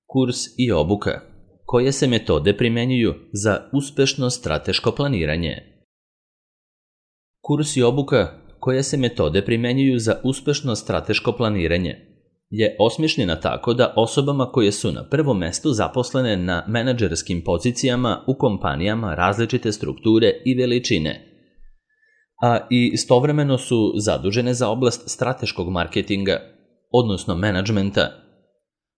Kurs i obuka. Koje se metode primjenjuju za uspešno strateško planiranje? Kurs i obuka koje se metode primjenjuju za uspešno strateško planiranje je osmišljena tako da osobama koje su na prvom mestu zaposlene na menadžerskim pozicijama u kompanijama različite strukture i veličine, a i istovremeno su zadužene za oblast strateškog marketinga, odnosno menadžmenta,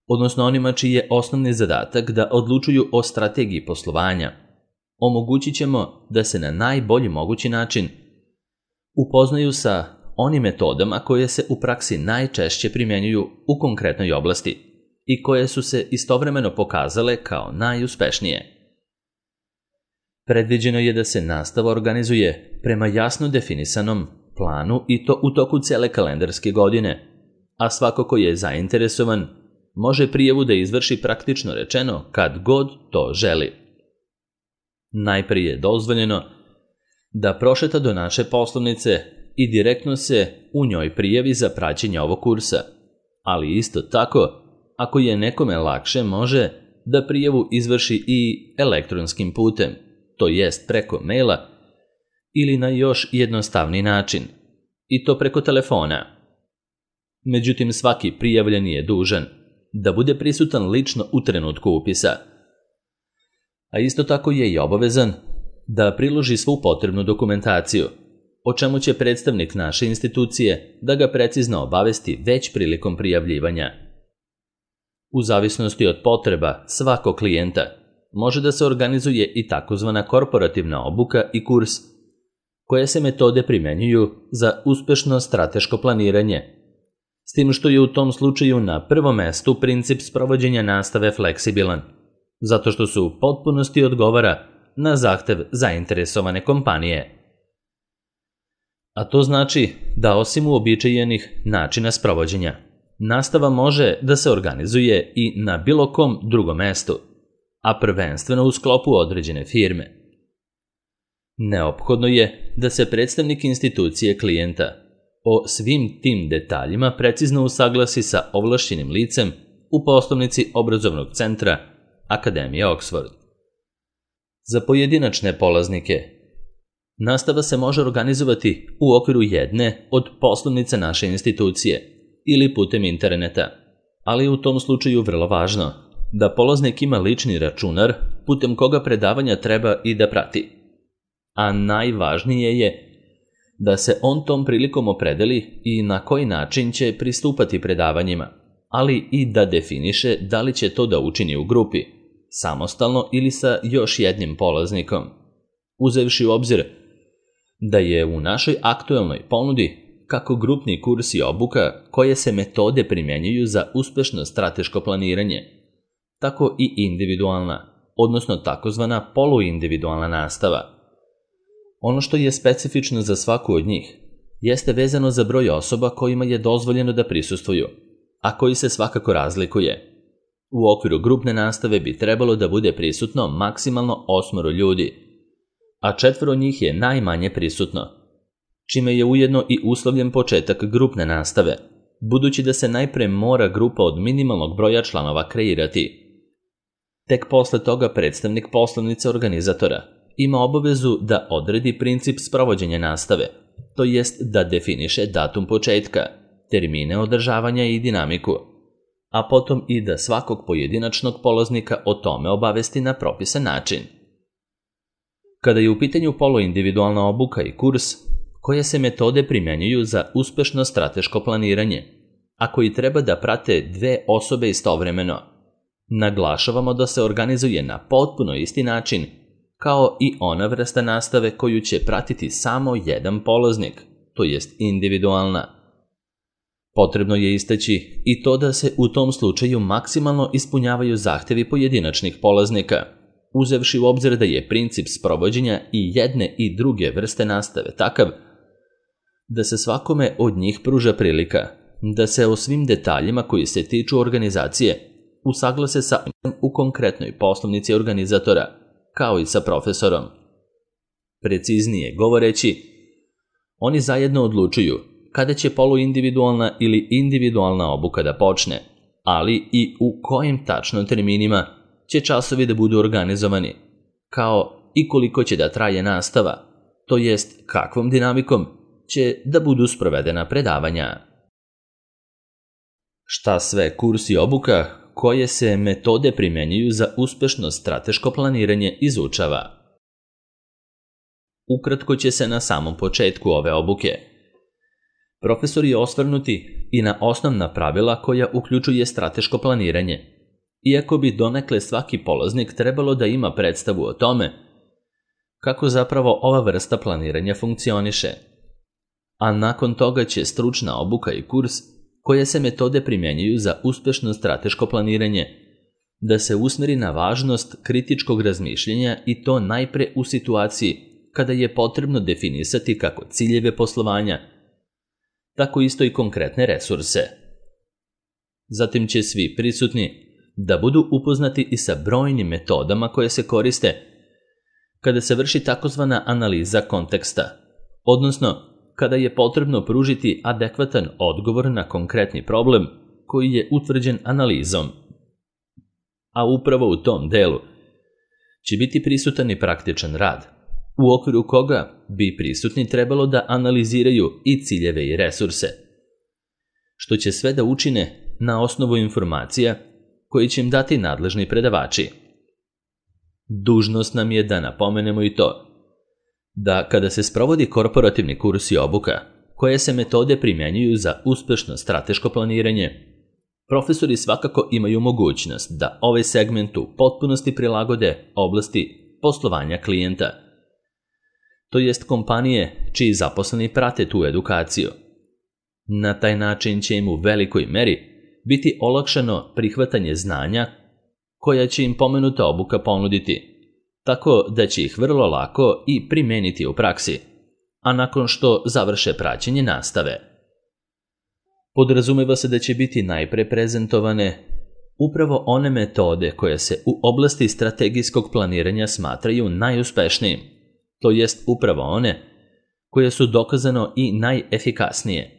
odnosno onima čiji je osnovni zadatak da odlučuju o strategiji poslovanja, omogućit ćemo da se na najbolji mogući način upoznaju sa onim metodama koje se u praksi najčešće primjenjuju u konkretnoj oblasti i koje su se istovremeno pokazale kao najuspešnije. Predviđeno je da se nastava organizuje prema jasno definisanom planu i to u toku cele kalendarske godine, a svako ko je zainteresovan može prijavu da izvrši praktično rečeno kad god to želi. Najprije je dozvoljeno da prošeta do naše poslovnice i direktno se u njoj prijavi za praćenje ovog kursa, ali isto tako, ako je nekome lakše, može da prijavu izvrši i elektronskim putem, to jest preko maila ili na još jednostavniji način, i to preko telefona. Međutim, svaki prijavljeni je dužan da bude prisutan lično u trenutku upisa, a isto tako je i obavezan da priloži svu potrebnu dokumentaciju, o čemu će predstavnik naše institucije da ga precizno obavesti već prilikom prijavljivanja. U zavisnosti od potreba svakog klijenta može da se organizuje i takozvana korporativna obuka i kurs, koje se metode primjenjuju za uspešno strateško planiranje, s tim što je u tom slučaju na prvom mestu princip sprovođenja nastave fleksibilan, zato što se u potpunosti odgovara na zahtev zainteresovane kompanije. A to znači da osim uobičajenih načina sprovođenja, nastava može da se organizuje i na bilo kom drugom mestu, a prvenstveno u sklopu određene firme. Neophodno je da se predstavnik institucije klijenta o svim tim detaljima precizno usaglasi sa ovlašćenim licem u poslovnici obrazovnog centra Akademije Oxford. Za pojedinačne polaznike nastava se može organizovati u okviru jedne od poslovnica naše institucije ili putem interneta, ali je u tom slučaju vrlo važno da polaznik ima lični računar putem koga predavanja treba i da prati. A najvažnije je da se on tom prilikom opredeli i na koji način će pristupati predavanjima, ali i da definiše da li će to da učini u grupi, samostalno ili sa još jednim polaznikom, uzevši u obzir da je u našoj aktuelnoj ponudi kako grupni kurs i obuka koje se metode primjenjuju za uspešno strateško planiranje, tako i individualna, odnosno takozvana poluindividualna nastava. Ono što je specifično za svaku od njih jeste vezano za broj osoba kojima je dozvoljeno da prisustvuju, a koji se svakako razlikuje. U okviru grupne nastave bi trebalo da bude prisutno maksimalno 8 ljudi, a 4 njih je najmanje prisutno, čime je ujedno i uslovljen početak grupne nastave, budući da se najpre mora grupa od minimalnog broja članova kreirati. Tek posle toga predstavnik poslovnice organizatora ima obavezu da odredi princip sprovođenja nastave, to jest da definiše datum početka, termine održavanja i dinamiku, a potom i da svakog pojedinačnog polaznika o tome obavesti na propisan način. Kada je u pitanju poluindividualna obuka i kurs, koje se metode primjenjuju za uspešno strateško planiranje, a koji treba da prate 2 osobe istovremeno, naglašavamo da se organizuje na potpuno isti način, kao i ona vrsta nastave koju će pratiti samo jedan polaznik, to jest individualna. Potrebno je istaći i to da se u tom slučaju maksimalno ispunjavaju zahtevi pojedinačnih polaznika, uzevši u obzir da je princip sprovođenja i jedne i druge vrste nastave takav da se svakome od njih pruža prilika da se o svim detaljima koji se tiču organizacije usaglase sa u konkretnoj poslovnici organizatora, kao i sa profesorom. Preciznije govoreći, oni zajedno odlučuju kada će poluindividualna ili individualna obuka da počne, ali i u kojim tačno terminima će časovi da budu organizovani, kao i koliko će da traje nastava, to jest kakvom dinamikom će da budu sprovedena predavanja. Šta sve kurs i obuka, koje se metode primenjuju za uspešno strateško planiranje izučava? Ukratko će se na samom početku ove obuke profesori osvrnuti i na osnovna pravila koja uključuje strateško planiranje, iako bi donekle svaki polaznik trebalo da ima predstavu o tome kako zapravo ova vrsta planiranja funkcioniše. A nakon toga će stručna obuka i kurs, koje se metode primenjuju za uspešno strateško planiranje, da se usmeri na važnost kritičkog razmišljenja i to najpre u situaciji kada je potrebno definisati kako ciljeve poslovanja, tako isto i konkretne resurse. Zatim će svi prisutni da budu upoznati i sa brojnim metodama koje se koriste kada se vrši takozvana analiza konteksta, odnosno kada je potrebno pružiti adekvatan odgovor na konkretni problem koji je utvrđen analizom. A upravo u tom delu će biti prisutan i praktičan rad, u okviru koga bi prisutni trebalo da analiziraju i ciljeve i resurse, što će sve da učine na osnovu informacija koji će im dati nadležni predavači. Dužnost nam je da napomenemo i to da kada se sprovodi korporativni kurs i obuka, koje se metode primjenjuju za uspešno strateško planiranje, profesori svakako imaju mogućnost da ovaj segment u potpunosti prilagode oblasti poslovanja klijenta, to jest kompanije čiji zaposleni prate tu edukaciju. Na taj način će im u velikoj meri biti olakšano prihvatanje znanja koja će im pomenuta obuka ponuditi, tako da će ih vrlo lako i primeniti u praksi, a nakon što završe praćenje nastave. Podrazumeva se da će biti najpre prezentovane upravo one metode koje se u oblasti strategijskog planiranja smatraju najuspešnijim, to jest upravo one koje su dokazano i najefikasnije.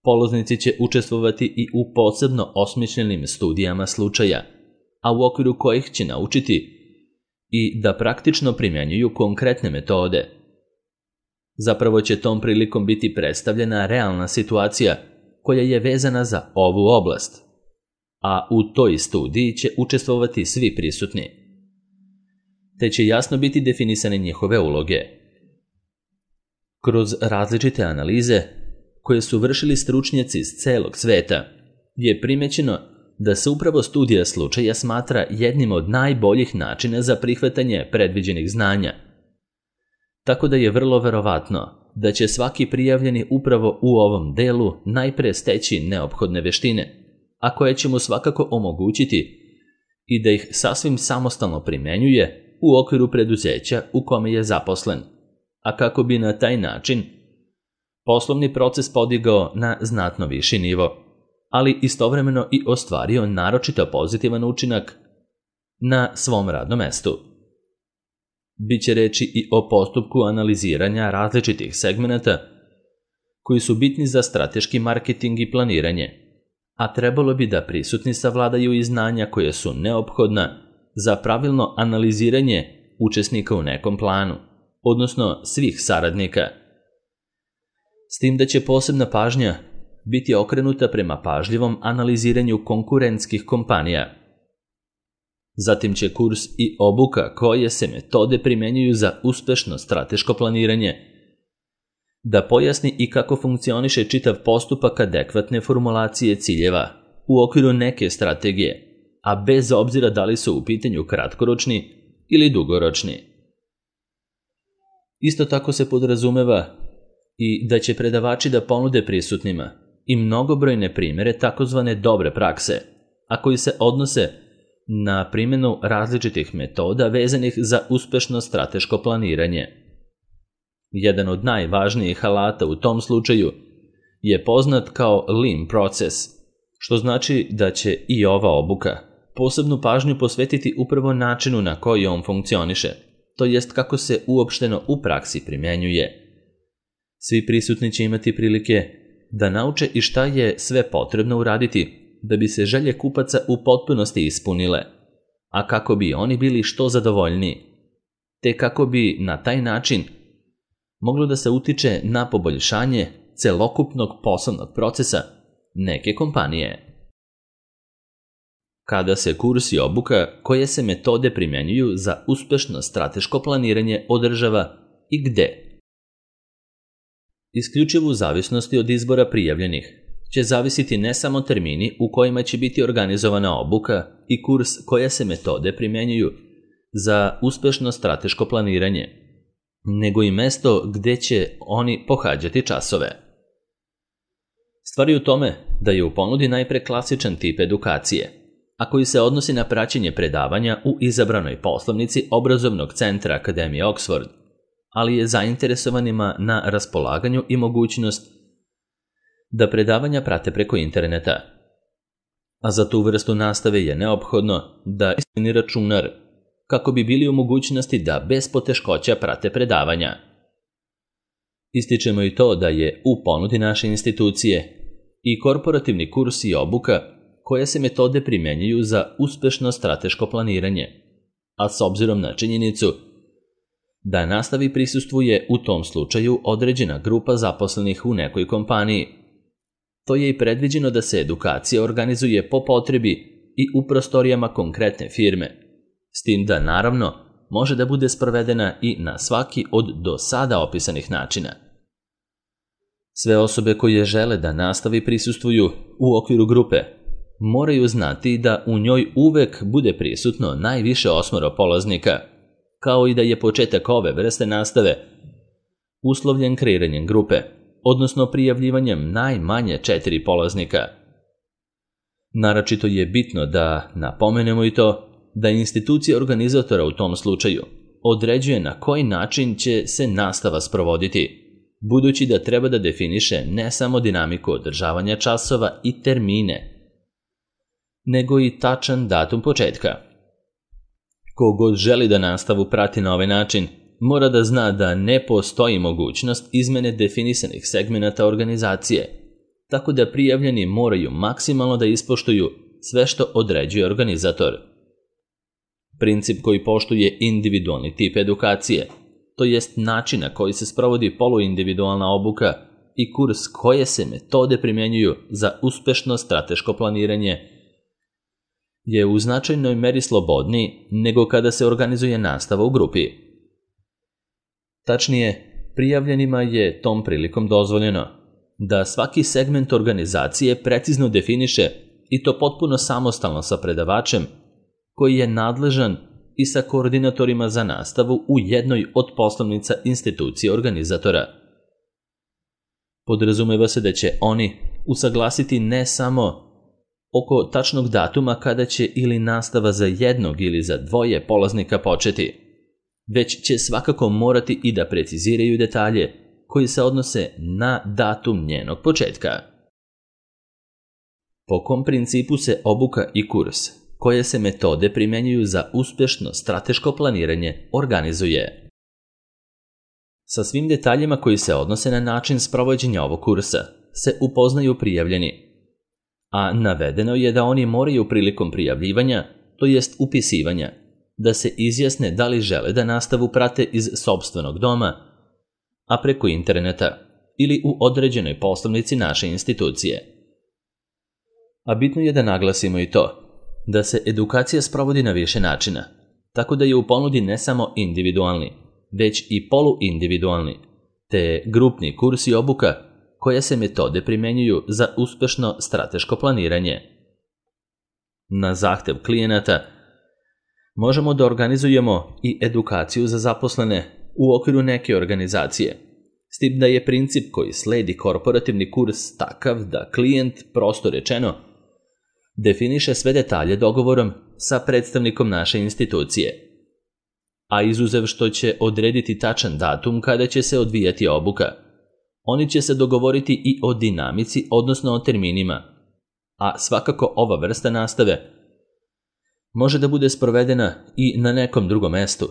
Polaznici će učestvovati i u posebno osmišljenim studijama slučaja, a u okviru kojih će naučiti i da praktično primjenjuju konkretne metode. Zapravo će tom prilikom biti predstavljena realna situacija koja je vezana za ovu oblast, a u toj studiji će učestvovati svi prisutni, te će jasno biti definisane njihove uloge. Kroz različite analize koje su vršili stručnjaci iz celog sveta je primećeno da se upravo studija slučaja smatra jednim od najboljih načina za prihvatanje predviđenih znanja. Tako da je vrlo verovatno da će svaki prijavljeni upravo u ovom delu najpre steći neophodne veštine, a koje će mu svakako omogućiti i da ih sasvim samostalno primenjuje u okviru preduzeća u kome je zaposlen, a kako bi na taj način poslovni proces podigao na znatno viši nivo, ali istovremeno i ostvario naročito pozitivan učinak na svom radnom mestu. Biće reči i o postupku analiziranja različitih segmenata koji su bitni za strateški marketing i planiranje, a trebalo bi da prisutni savladaju i znanja koje su neophodna za pravilno analiziranje učesnika u nekom planu, odnosno svih saradnika. S tim da će posebna pažnja biti okrenuta prema pažljivom analiziranju konkurentskih kompanija. Zatim će kurs i obuka koje se metode primenjuju za uspešno strateško planiranje da pojasni i kako funkcioniše čitav postupak adekvatne formulacije ciljeva u okviru neke strategije, a bez obzira da li su u pitanju kratkoročni ili dugoročni. Isto tako se podrazumeva i da će predavači da ponude prisutnima i mnogobrojne primere takozvane dobre prakse, a koji se odnose na primjenu različitih metoda vezanih za uspešno strateško planiranje. Jedan od najvažnijih alata u tom slučaju je poznat kao Lean proces, što znači da će i ova obuka posebnu pažnju posvetiti upravo načinu na koji on funkcioniše, to jest kako se uopšteno u praksi primenjuje. Svi prisutni će imati prilike da nauče i šta je sve potrebno uraditi da bi se želje kupaca u potpunosti ispunile, a kako bi oni bili što zadovoljniji, te kako bi na taj način moglo da se utiče na poboljšanje celokupnog poslovnog procesa neke kompanije. Kada se kurs i obuka koje se metode primjenjuju za uspešno strateško planiranje održava i gde? Isključivo u zavisnosti od izbora prijavljenih će zavisiti ne samo termini u kojima će biti organizovana obuka i kurs koje se metode primjenjuju za uspešno strateško planiranje, nego i mesto gde će oni pohađati časove. Stvar je u tome da je u ponudi najpre klasičan tip edukacije, a koji se odnosi na praćenje predavanja u izabranoj poslovnici obrazovnog centra Akademije Oxford, ali je zainteresovanima na raspolaganju i mogućnost da predavanja prate preko interneta. A za tu vrstu nastave je neophodno da ispuni računar kako bi bili u mogućnosti da bez poteškoća prate predavanja. Ističemo i to da je u ponudi naše institucije i korporativni kurs i obuka koje se metode primjenjuju za uspešno strateško planiranje, a s obzirom na činjenicu da nastavi prisustvuje u tom slučaju određena grupa zaposlenih u nekoj kompaniji. To je i predviđeno da se edukacija organizuje po potrebi i u prostorijama konkretne firme, s tim da naravno može da bude sprovedena i na svaki od do sada opisanih načina. Sve osobe koje žele da nastavi prisustvuju u okviru grupe moraju znati da u njoj uvek bude prisutno najviše 8 polaznika, kao i da je početak ove vrste nastave uslovljen kreiranjem grupe, odnosno prijavljivanjem najmanje 4 polaznika. Naročito je bitno da napomenemo i to da institucija organizatora u tom slučaju određuje na koji način će se nastava sprovoditi, budući da treba da definiše ne samo dinamiku održavanja časova i termine, nego i tačan datum početka. Kogod želi da nastavu prati na ovaj način, mora da zna da ne postoji mogućnost izmene definisanih segmenata organizacije, tako da prijavljeni moraju maksimalno da ispoštuju sve što određuje organizator. Princip koji poštuje individualni tip edukacije, to jest način na koji se sprovodi poluindividualna obuka i kurs koje se metode primjenjuju za uspešno strateško planiranje, je u značajnoj meri slobodniji nego kada se organizuje nastava u grupi. Tačnije, prijavljenima je tom prilikom dozvoljeno da svaki segment organizacije precizno definiše i to potpuno samostalno sa predavačem koji je nadležan i sa koordinatorima za nastavu u jednoj od poslovnica institucije organizatora. Podrazumeva se da će oni usaglasiti ne samo oko tačnog datuma kada će ili nastava za jednog ili za 2 polaznika početi, već će svakako morati i da preciziraju detalje koji se odnose na datum njenog početka. Po kom principu se obuka i kurs koje se metode primjenjuju za uspešno strateško planiranje organizuje? Sa svim detaljima koji se odnose na način sprovođenja ovog kursa se upoznaju prijavljeni, a navedeno je da oni moraju prilikom prijavljivanja, to jest upisivanja, da se izjasne da li žele da nastavu prate iz sopstvenog doma, a preko interneta ili u određenoj poslovnici naše institucije. A bitno je da naglasimo i to da se edukacija sprovodi na više načina, tako da je u ponudi ne samo individualni, već i poluindividualni, te grupni kurs i obuka koje se metode primjenjuju za uspešno strateško planiranje. Na zahtev klijenata možemo da organizujemo i edukaciju za zaposlene u okviru neke organizacije, s tim da je princip koji sledi korporativni kurs takav da klijent, prosto rečeno, definiše sve detalje dogovorom sa predstavnikom naše institucije, a izuzev što će odrediti tačan datum kada će se odvijati obuka, oni će se dogovoriti i o dinamici, odnosno o terminima, a svakako ova vrsta nastave može da bude sprovedena i na nekom drugom mestu,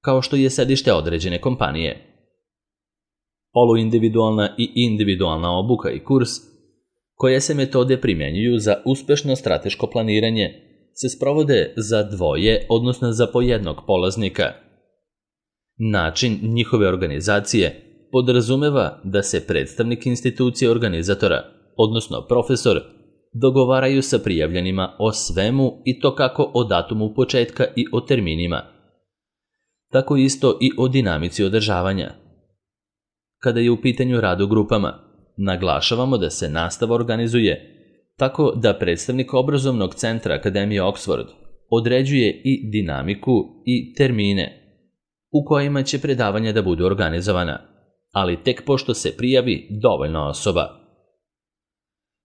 kao što je sedište određene kompanije. Poluindividualna i individualna obuka i kurs koje se metode primjenjuju za uspešno strateško planiranje, se sprovode za dvoje, odnosno za po jednog polaznika. Način njihove organizacije podrazumeva da se predstavnik institucije organizatora, odnosno profesor, dogovaraju sa prijavljenima o svemu i to kako o datumu početka i o terminima, tako isto i o dinamici održavanja. Kada je u pitanju rad u grupama, naglašavamo da se nastava organizuje tako da predstavnik obrazovnog centra Akademije Oxford određuje i dinamiku i termine u kojima će predavanja da budu organizovana, ali tek pošto se prijavi dovoljno osoba.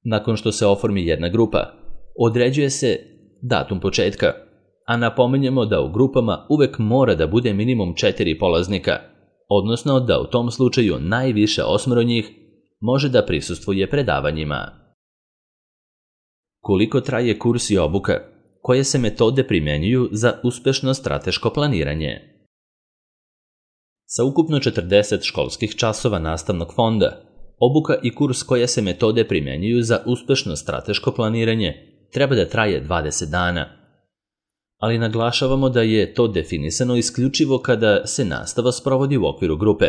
Nakon što se oformi jedna grupa, određuje se datum početka, a napominjemo da u grupama uvek mora da bude minimum 4 polaznika, odnosno da u tom slučaju najviše 8 njih može da prisustvuje predavanjima. Koliko traje kurs i obuka? Koje se metode primjenjuju za uspešno strateško planiranje? Sa ukupno 40 školskih časova nastavnog fonda, obuka i kurs koje se metode primjenjuju za uspešno strateško planiranje treba da traje 20 dana. Ali naglašavamo da je to definisano isključivo kada se nastava sprovodi u okviru grupe.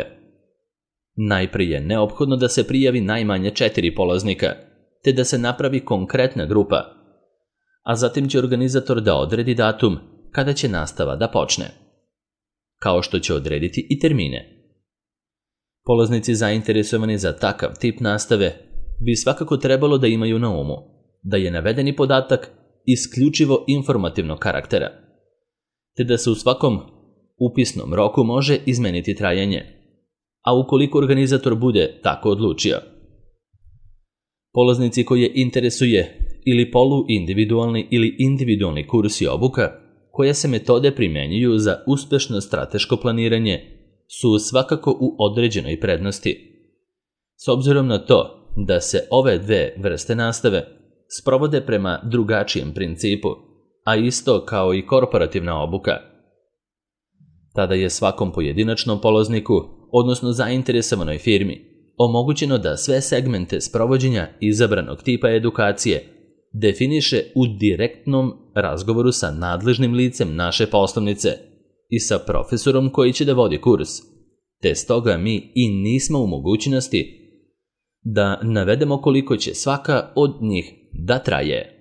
Najprije je neophodno da se prijavi najmanje 4 polaznika, te da se napravi konkretna grupa, a zatim će organizator da odredi datum kada će nastava da počne, kao što će odrediti i termine. Polaznici zainteresovani za takav tip nastave bi svakako trebalo da imaju na umu da je navedeni podatak isključivo informativnog karaktera, te da se u svakom upisnom roku može izmeniti trajanje, a ukoliko organizator bude tako odlučio. Polaznici koje interesuje ili poluindividualni ili individualni kurs i obuka, koje se metode primjenjuju za uspešno strateško planiranje, su svakako u određenoj prednosti. S obzirom na to da se ove dve vrste nastave sprovode prema drugačijem principu, a isto kao i korporativna obuka, tada je svakom pojedinačnom polazniku, odnosno zainteresovanoj firmi, omogućeno da sve segmente sprovođenja izabranog tipa edukacije definiše u direktnom razgovoru sa nadležnim licem naše poslovnice i sa profesorom koji će da vodi kurs, te stoga mi i nismo u mogućnosti da navedemo koliko će svaka od njih da traje.